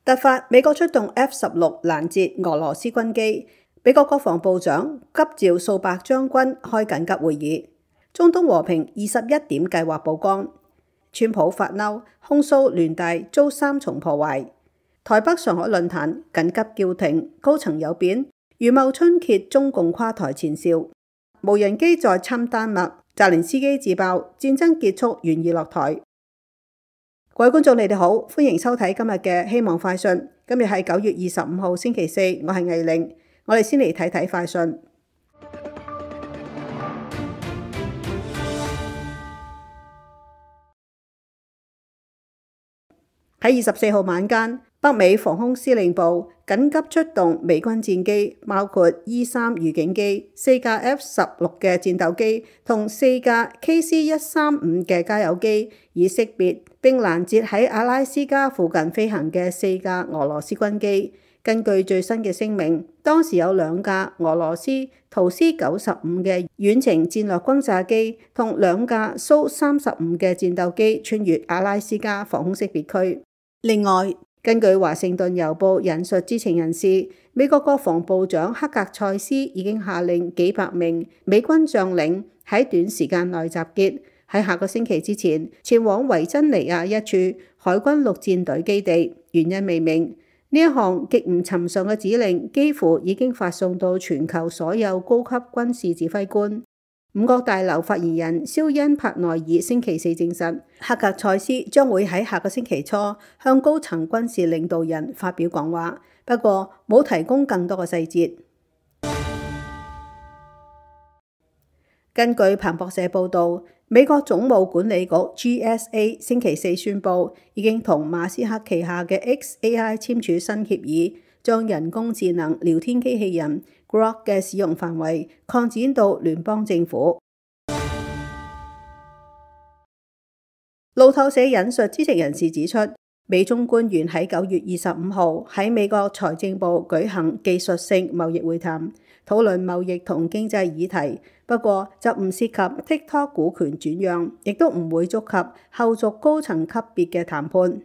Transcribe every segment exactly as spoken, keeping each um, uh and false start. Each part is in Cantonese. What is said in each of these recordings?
突發美國出動 F 十六攔截俄羅斯軍機，美國國防部長急召數百將軍開緊急會議。中東和平二十一點計劃曝光，川普發嬲控訴聯大遭三重破壞。台北上海論壇緊急叫停，高層有變，余茂春揭中共垮台前兆。無人機再侵丹麥，澤連斯基自爆戰爭結束，願意落台。各位觀眾，你哋好，歡迎收睇今日嘅希望快訊。今日係九月二十五號星期四，我係魏玲。我哋先嚟睇睇快訊。喺二十四號晚間，北美防空司令部緊急出動美軍戰機，包括 E 三預警機、四架 F 十六嘅戰鬥機同四架 K C 一三五嘅加油機，以識別並攔截喺阿拉斯加附近飛行嘅四架俄羅斯軍機。根據最新嘅聲明，當時有兩架俄羅斯圖斯九十五嘅遠程戰略轟炸機同兩架蘇三十五嘅戰鬥機穿越阿拉斯加防空識別區。另外，根據華盛頓郵報引述知情人士，美國國防部長克格塞斯已經下令幾百名美軍將領喺短時間內集結，喺下個星期之前前往維珍尼亞一處海軍陸戰隊基地，原因未明。呢一項極唔尋常嘅指令幾乎已經發送到全球所有高級軍事指揮官。五角大樓發言人肖恩帕內爾星期四證實，克格塞斯將會喺下個星期初向高層軍事領導人發表講話，不過冇提供更多嘅細節。根據彭博社報導，美國總務管理局 G S A 星期四宣布，已經同馬斯克旗下嘅 X A I 簽署新協議，將人工智能聊天機器人 Grok 嘅使用範圍擴展到聯邦政府。路透社引述知情人士指出，美中官員喺九月二十五號喺美國財政部舉行技術性貿易會談，討論貿易同經濟議題，不過就唔涉及 TikTok 股權轉讓，亦都唔會觸及後續高層級別嘅談判。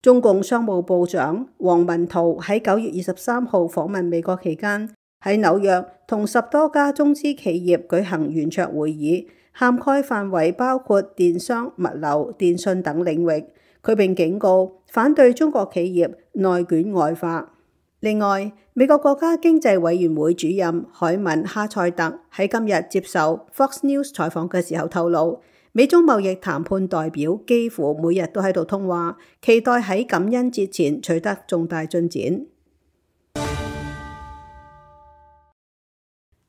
中共商務部長王文濤喺九月二十三號訪問美國期間，喺紐約同十多家中資企業舉行圓桌會議，涵蓋範圍包括電商、物流、電信等領域。佢並警告反對中國企業內卷外化。另外，美國國家經濟委員會主任海文哈塞特喺今日接受 Fox News 採訪嘅時候透露，美中貿易談判代表幾乎每日都喺度通話，期待喺感恩節前取得重大進展。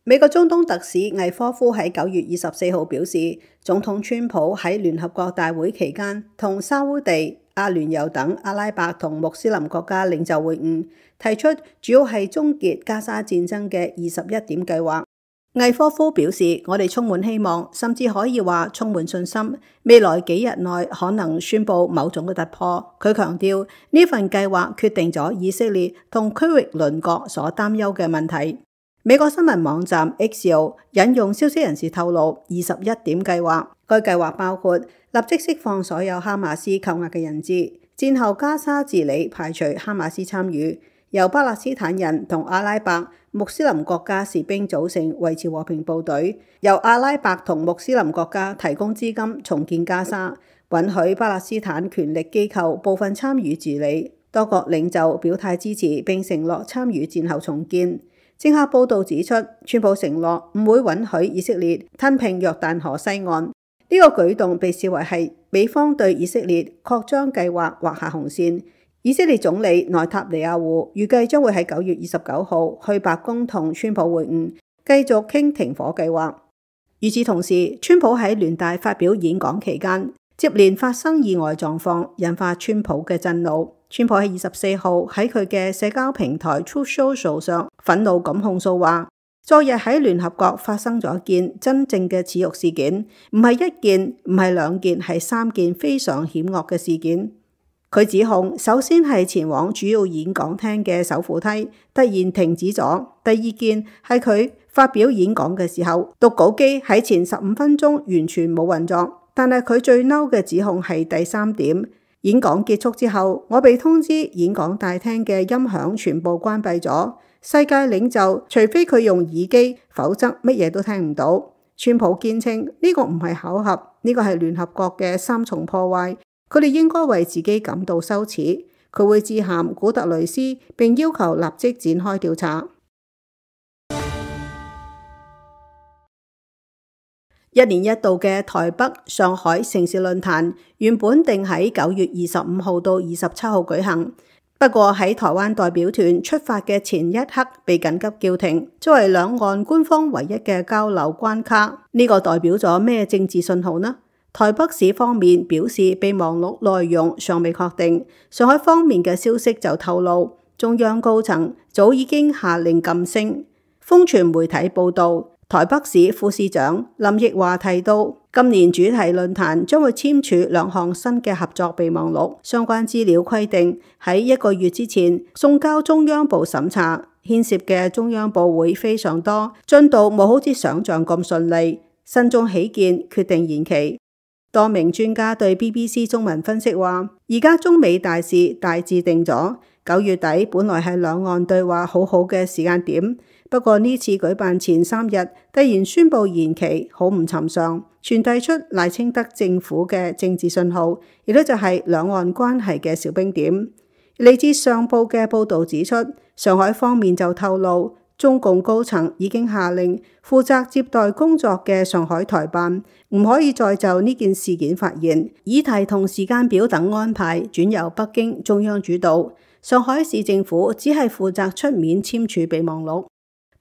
美國中東特使魏科夫喺九月二十四號表示，總統川普喺聯合國大會期間同沙烏地、阿聯酋等阿拉伯同穆斯林國家領袖會晤，提出主要係終結加沙戰爭嘅二十一點計劃。魏科夫表示，我哋充滿希望，甚至可以話充滿信心，未來幾日內可能宣布某種嘅突破。佢強調呢份計劃決定咗以色列同區域鄰國所擔憂嘅問題。美國新聞網站 Axios 引用消息人士透露，二十一點計劃，該計劃包括立即釋放所有哈馬斯扣押嘅人質，戰後加沙治理排除哈馬斯參與，由巴勒斯坦人同阿拉伯、穆斯林國家士兵組成維持和平部隊，由阿拉伯同穆斯林國家提供資金重建加沙，允許巴勒斯坦權力機構部分參與治理。多國領袖表態支持並承諾參與戰後重建。政客報道指出，川普承諾唔會允許以色列吞併約旦河西岸，呢、這個舉動被視為係美方對以色列擴張計劃劃下紅線。以色列總理內塔尼亞胡預計將會喺九月二十九號去白宮同川普會晤，繼續傾停火計劃。與此同時，川普喺聯大發表演講期間，接連發生意外狀況，引發川普嘅震怒。川普喺二十四號喺佢嘅社交平台 Truth Social 上憤怒咁控訴話，昨日喺聯合國發生咗一件真正嘅恥辱事件，唔係一件，唔係兩件，係三件非常險惡嘅事件。佢指控，首先係前往主要演講廳嘅手扶梯突然停止咗；第二件係佢發表演講嘅時候，讀稿機喺前十五分鐘完全冇運作。但係佢最嬲嘅指控係第三點。演講結束之後，我被通知演講大廳嘅音響全部關閉咗。世界領袖除非佢用耳機，否則乜嘢都聽唔到。川普堅稱呢個唔係巧合，呢個係聯合國嘅三重破壞，佢哋應該為自己感到羞恥。佢會致函古特雷斯，並要求立即展開調查。一年一度嘅台北、上海城市論壇原本定喺九月二十五號到二十七號舉行。不過喺台灣代表團出發嘅前一刻被緊急叫停，作為兩岸官方唯一嘅交流關卡。呢個代表咗咩政治信號呢？台北市方面表示備忘錄內容尚未確定，上海方面嘅消息就透露，中央高層早已經下令噤聲。風傳媒體報道，台北市副市長林奕華提到，今年主題論壇將會簽署兩項新嘅合作備忘錄，相關資料規定喺一個月之前送交中央部審查，牽涉嘅中央部會非常多，進度冇好似想象咁順利。慎重起見，決定延期。多名專家對 B B C 中文分析話，而家中美大事大致定咗，九月底本來係兩岸對話好好嘅時間點。不過呢次舉辦前三日突然宣布延期，好唔尋常，傳遞出賴清德政府嘅政治信號，亦都就係兩岸關係嘅小冰點。嚟自上報嘅報導指出，上海方面就透露，中共高層已經下令負責接待工作嘅上海台辦唔可以再就呢件事件發言，議題同時間表等安排轉由北京中央主導，上海市政府只係負責出面簽署備忘錄。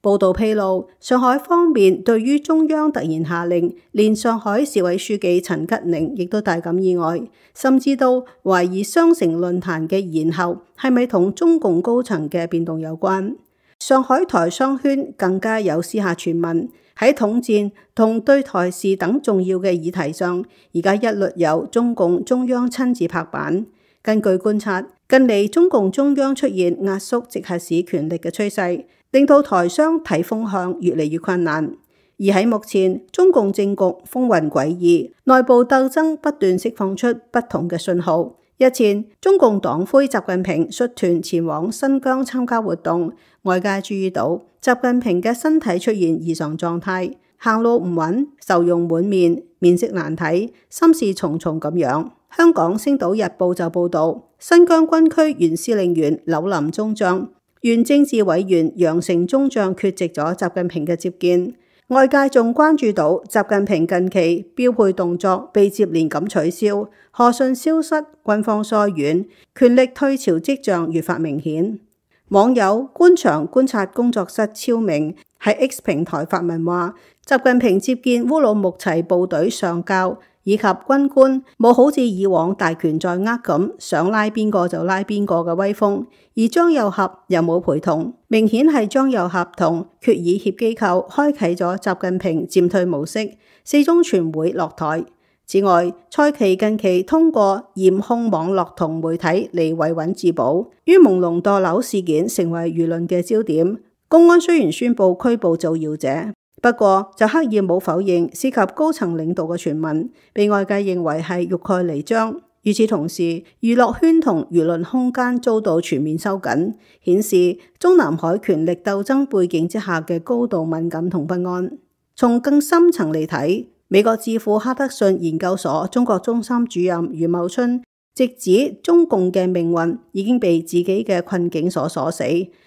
報道披露，上海方面對於中央突然下令，連上海市委書記陳吉寧亦都大感意外，甚至都懷疑雙城論壇嘅延後係咪同中共高層嘅變動有關。上海台商圈更加有私下傳聞，喺統戰同對台事等重要嘅議題上，而家一律由中共中央親自拍板。根據觀察，近嚟中共中央出現壓縮直轄市權力嘅趨勢，令到台商睇風向越嚟越困難。而喺目前，中共政局風雲詭異，內部鬥爭不斷釋放出不同嘅信號。日前，中共黨魁習近平率團前往新疆參加活動，外界注意到習近平嘅身體出現異常狀態，行路唔穩，愁容滿面，面色難睇，心事重重咁樣。香港星島日報就報道，新疆軍區原司令員柳林中將、原政治委員楊成中將缺席咗習近平嘅接見。外界仲關注到習近平近期標配動作被接連咁取消，賀信消失，軍方疏遠，權力退潮跡象越發明顯。網友官場觀察工作室超明喺 X 平台發文話，習近平接見烏魯木齊部隊上校以及軍官，冇好似以往大權在握咁，想拉邊個就拉邊個嘅威風，而張又俠又冇陪同，明顯係張又俠同決議協機構開啟咗習近平漸退模式，四中全會落台。此外，蔡奇近期通過嚴控網絡同媒體嚟維穩自保，於朦朧墮樓事件成為輿論嘅焦點。公安雖然宣布拘捕造謠者，不過就刻意冇否認涉及高層領導嘅傳聞，被外界認為係欲蓋彌彰。與此同時，娛樂圈同輿論空間遭到全面收緊，顯示中南海權力鬥爭背景之下嘅高度敏感同不安。從更深層嚟睇，美國智庫哈德遜研究所中國中心主任余茂春直指中共嘅命運已經被自己嘅困境所鎖死，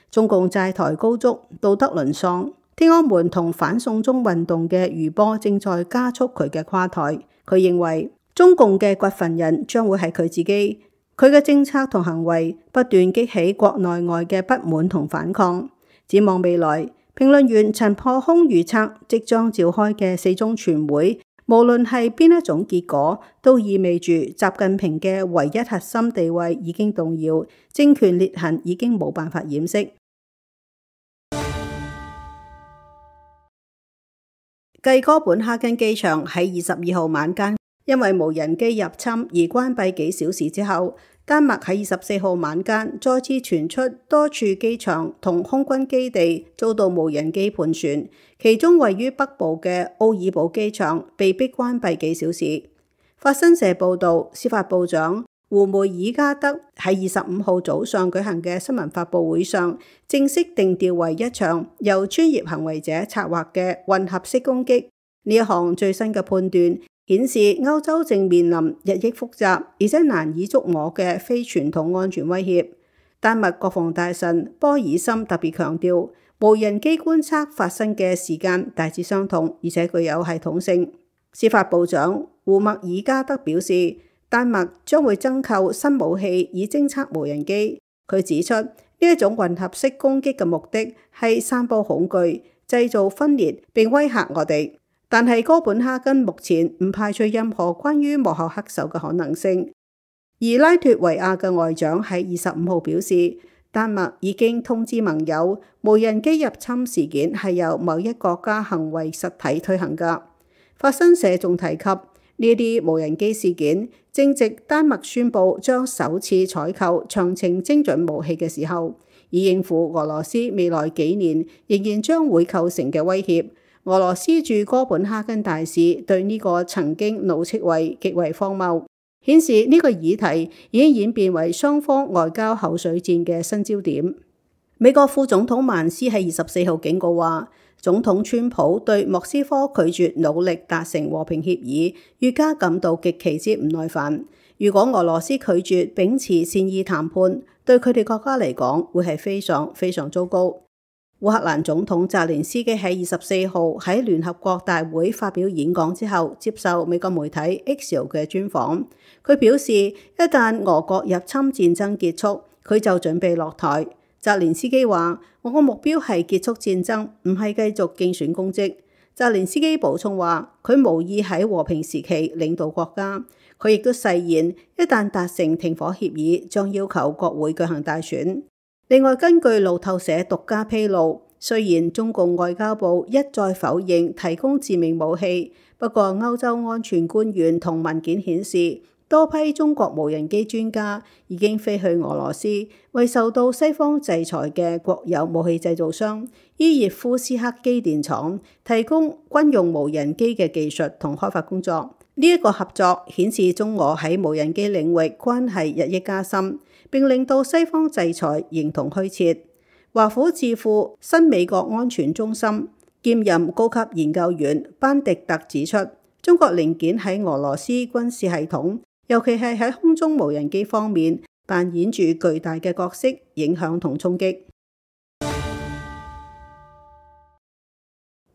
中共債台高築，道德淪喪。天安門同反送中運動嘅餘波正在加速佢嘅垮台。佢認為中共嘅掘墳人將會係佢自己，佢嘅政策同行為不斷激起國內外嘅不滿同反抗。展望未來，評論員陳破空預測即將召開嘅四中全會，無論係邊一種結果，都意味住習近平嘅唯一核心地位已經動搖，政權裂痕已經冇辦法掩飾。繼哥本哈根機場喺二十二號晚間因為無人機入侵而關閉幾小時之後，丹麥喺二十四號晚間再次傳出多處機場同空軍基地遭到無人機盤旋，其中位於北部嘅奧爾堡機場被迫關閉幾小時。法新社報道，司法部長胡梅爾加德喺二十五號早上舉行嘅新聞發佈會上，正式定調為一場由專業行為者策劃嘅混合式攻擊。呢一項最新嘅判斷顯示，歐洲正面臨日益複雜而且難以捉摸嘅非傳統安全威脅。丹麥國防大臣波爾森特別強調，無人機觀測發生嘅時間大致相同，而且具有系統性。司法部長胡默爾加德表示，丹麥將會增購新武器以偵測無人機。佢指出，呢一種混合式攻擊嘅目的係散佈恐懼、製造分裂並威嚇我哋。但係哥本哈根目前唔排除任何關於幕後黑手嘅可能性。而拉脫維亞嘅外長喺二十五號表示，丹麥已經通知盟友，無人機入侵事件係由某一國家行為實體推行㗎。法新社仲提及，呢啲無人機事件正值丹麥宣布將首次採購長程精準武器嘅時候，以應付俄羅斯未來幾年仍然將會構成嘅威脅。俄羅斯駐哥本哈根大使對呢個曾經怒斥為極為荒謬，顯示呢個議題已經演變為雙方外交口水戰嘅新焦點。美國副總統曼斯喺二十四號警告話，總統川普對莫斯科拒絕努力達成和平協議，越加感到極其之唔耐煩。如果俄羅斯拒絕秉持善意談判，對佢哋國家嚟講會係非常非常糟糕。烏克蘭總統澤連斯基喺二十四號喺聯合國大會發表演講之後，接受美國媒體 Axios 嘅專訪。佢表示，一旦俄國入侵戰爭結束，佢就準備落台。澤連斯基話：我個目標係結束戰爭，唔係繼續競選公職。澤連斯基補充話，佢無意喺和平時期領導國家。佢亦都誓言，一旦達成停火協議，將要求國會舉行大選。另外，根據路透社獨家披露，雖然中共外交部一再否認提供致命武器，不過歐洲安全官員同文件顯示，多批中國無人機專家已經飛去俄羅斯，為受到西方制裁嘅國有武器製造商伊葉夫斯克機電廠提供軍用無人機嘅技術同開發工作。呢一個合作顯示中俄喺無人機領域關係日益加深，並令到西方制裁形同虛設。華府智庫新美國安全中心兼任高級研究員班迪特指出，中國零件喺俄羅斯軍事系統，尤其係喺空中無人機方面，扮演住巨大嘅角色、影響同衝擊。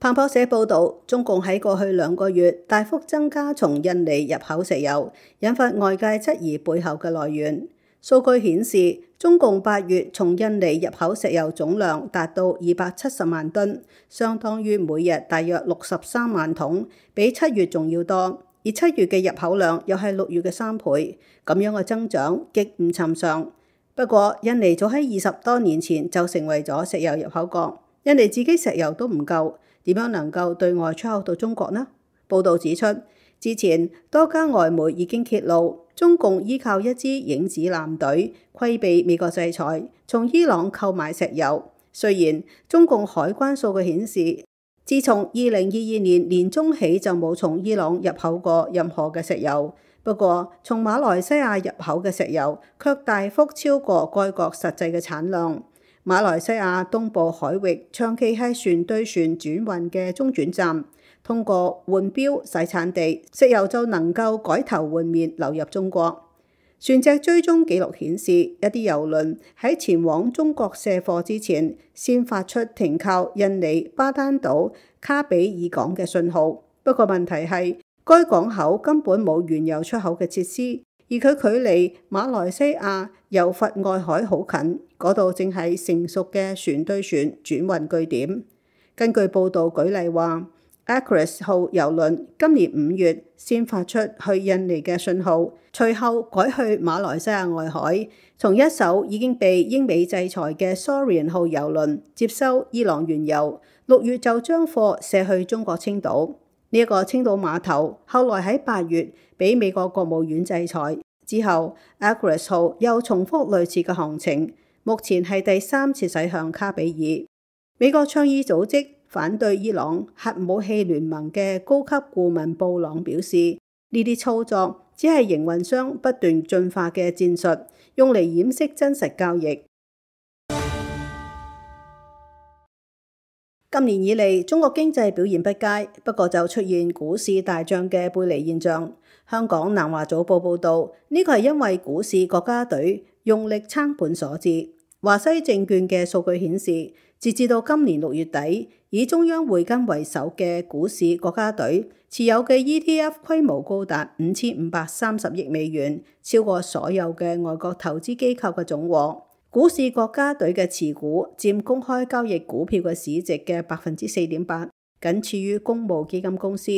彭博社報導，中共喺過去兩個月大幅增加從印尼入口石油，引發外界質疑背後嘅來源。數據顯示，中共八月從印尼入口石油總量達到二百七十萬噸，相當於每日大約六十三萬桶，比七月仲要多。而七月嘅入口量又係六月嘅三倍，咁樣嘅增長極唔尋常。不過，印尼早喺二十多年前就成為咗石油入口國，印尼自己石油都唔夠，點樣能夠對外出口到中國呢？報導指出，之前多家外媒已經揭露，中共依靠一支影子艦隊規避美國制裁，從伊朗購買石油。雖然中共海關數據顯示，自從二零二二年年中起就冇從伊朗入口過任何嘅石油，不過從馬來西亞入口嘅石油卻大幅超過該國實際嘅產量。馬來西亞東部海域長期係船對船轉運嘅中轉站，通過換標洗產地，石油就能夠改頭換面流入中國。船隻追蹤記錄顯示，一啲油輪喺前往中國卸貨之前，先發出停靠印尼巴丹島卡比爾港嘅信號。不過問題係，該港口根本冇原油出口嘅設施，而佢距離馬來西亞柔佛外海好近，嗰度正係成熟嘅船對船轉運據點。根據報導舉例話，Aquarius 號郵輪今年五月先發出去印尼嘅信號，隨後改去馬來西亞外海，從一艘已經被英美制裁嘅 Saurian 號郵輪接收伊朗原油，六月就將貨卸去中國青島。呢、這、一個青島碼頭後來喺八月被美國國務院制裁之後， Aquarius 號又重複類似嘅航程，目前係第三次駛向卡比爾。美國倡議組織反對伊朗核武器聯盟嘅高級顧問布朗表示，呢啲操作只係營運商不斷進化嘅戰術，用嚟掩飾真實交易。今年以嚟，中國經濟表現不佳，不過就出現股市大漲嘅背離現象。香港南華早報報導，呢個係因為股市國家隊用力撐盤所致。華西證券嘅數據顯示，截至到今年六月底，以中央匯金為首嘅股市國家隊持有嘅 E T F 規模高達五千五百三十億美元，超過所有嘅外國投資機構嘅總和。股市國家隊嘅持股佔公開交易股票嘅市值嘅百分之四點八，僅次於公募基金公司。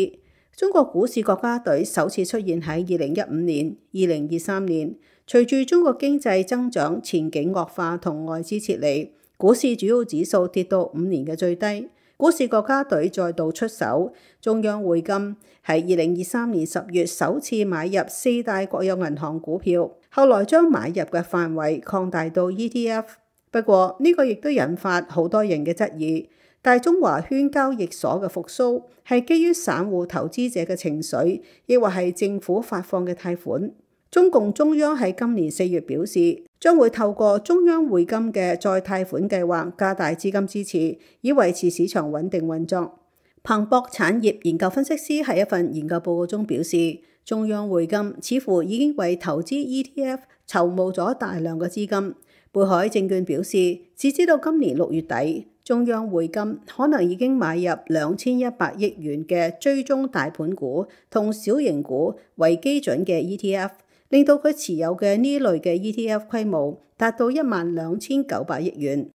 中國股市國家隊首次出現喺二零一五年、二零二三年，隨住中國經濟增長前景惡化同外資撤離，股市主要指數跌到五年嘅最低。股市國家隊再度出手，中央匯金喺二零二三年十月首次買入四大國有銀行股票，後來將買入嘅範圍擴大到 E T F。不過呢個亦都引發好多人嘅質疑，大中華圈交易所嘅復甦係基於散戶投資者嘅情緒，抑或係政府發放嘅貸款？中共中央喺今年四月表示，將會透過中央匯金嘅再貸款計劃加大資金支持，以維持市場穩定運作。彭博產業研究分析師喺一份研究報告中表示，中央匯金似乎已經為投資 E T F 籌募咗大量嘅資金。貝海證券表示，截至到今年六月底，中央匯金可能已經買入兩千一百億元嘅追蹤大盤股同小型股為基準嘅 E T F。令到佢持有嘅呢類嘅 E T F 規模達到一萬兩千九百億元。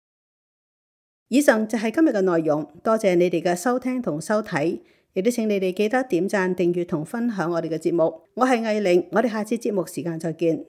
以上就係今日嘅內容，多謝你哋嘅收聽同收睇，亦都請你哋記得點讚、訂閱同分享我哋嘅節目。我係藝玲，我哋下次節目時間再見。